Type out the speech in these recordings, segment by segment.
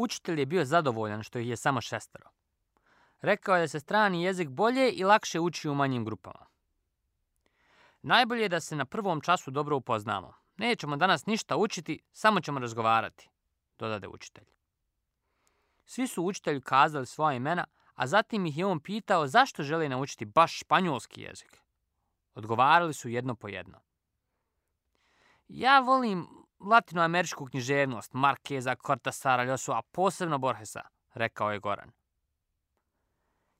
Učitelj je bio zadovoljan što ih je samo 6. Rekao je da se strani jezik bolje i lakše uči u manjim grupama. Najbolje je da se na prvom času dobro upoznamo. Nećemo danas ništa učiti, samo ćemo razgovarati, dodade učitelj. Svi su učitelju kazali svoja imena, a zatim ih je on pitao zašto žele naučiti baš španjolski jezik. Odgovarali su jedno po jedno. Ja volim latinoameričku književnost, Markeza, Cortasara, Ljosu, a posebno Borgesa, rekao je Goran.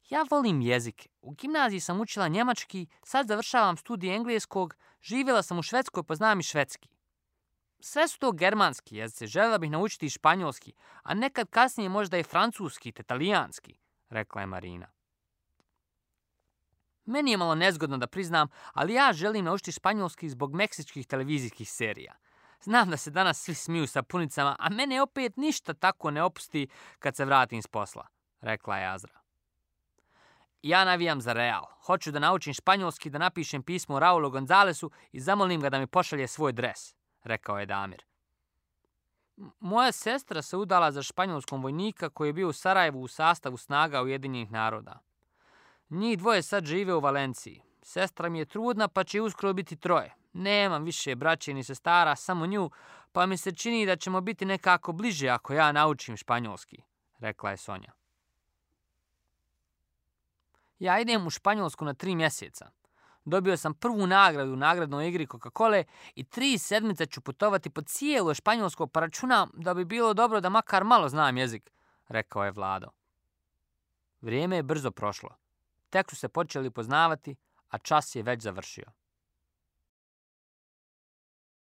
Ja volim jezik. U gimnaziji sam učila njemački, sad završavam studij engleskog, živjela sam u Švedskoj pa znam i švedski. Sve su to germanski jezici, željela bih naučiti i španjolski, a nekad kasnije možda i francuski te talijanski, rekla je Marina. Meni je malo nezgodno da priznam, ali ja želim naučiti španjolski zbog meksičkih televizijskih serija. Znam da se danas svi smiju sapunicama, a mene opet ništa tako ne opusti kad se vratim s posla, rekla je Azra. Ja navijam za Real. Hoću da naučim španjolski, da napišem pismo Raulu Gonzalesu i zamolim ga da mi pošalje svoj dres, rekao je Damir. Moja sestra se udala za španjolskom vojnika koji je bio u Sarajevu u sastavu snaga Ujedinjenih naroda. Njih dvoje sad žive u Valenciji. Sestra mi je trudna pa će uskoro biti 3. Nemam više braće ni sestara, samo nju, pa mi se čini da ćemo biti nekako bliže ako ja naučim španjolski, rekla je Sonja. Ja idem u Španjolsku na 3 mjeseca. Dobio sam prvu nagradu u nagradnoj igri Coca-Cole i 3 sedmice ću putovati po cijelo Španjolsko pa računam da bi bilo dobro da makar malo znam jezik, rekao je Vlado. Vrijeme je brzo prošlo. Tek su se počeli poznavati, a čas je već završio.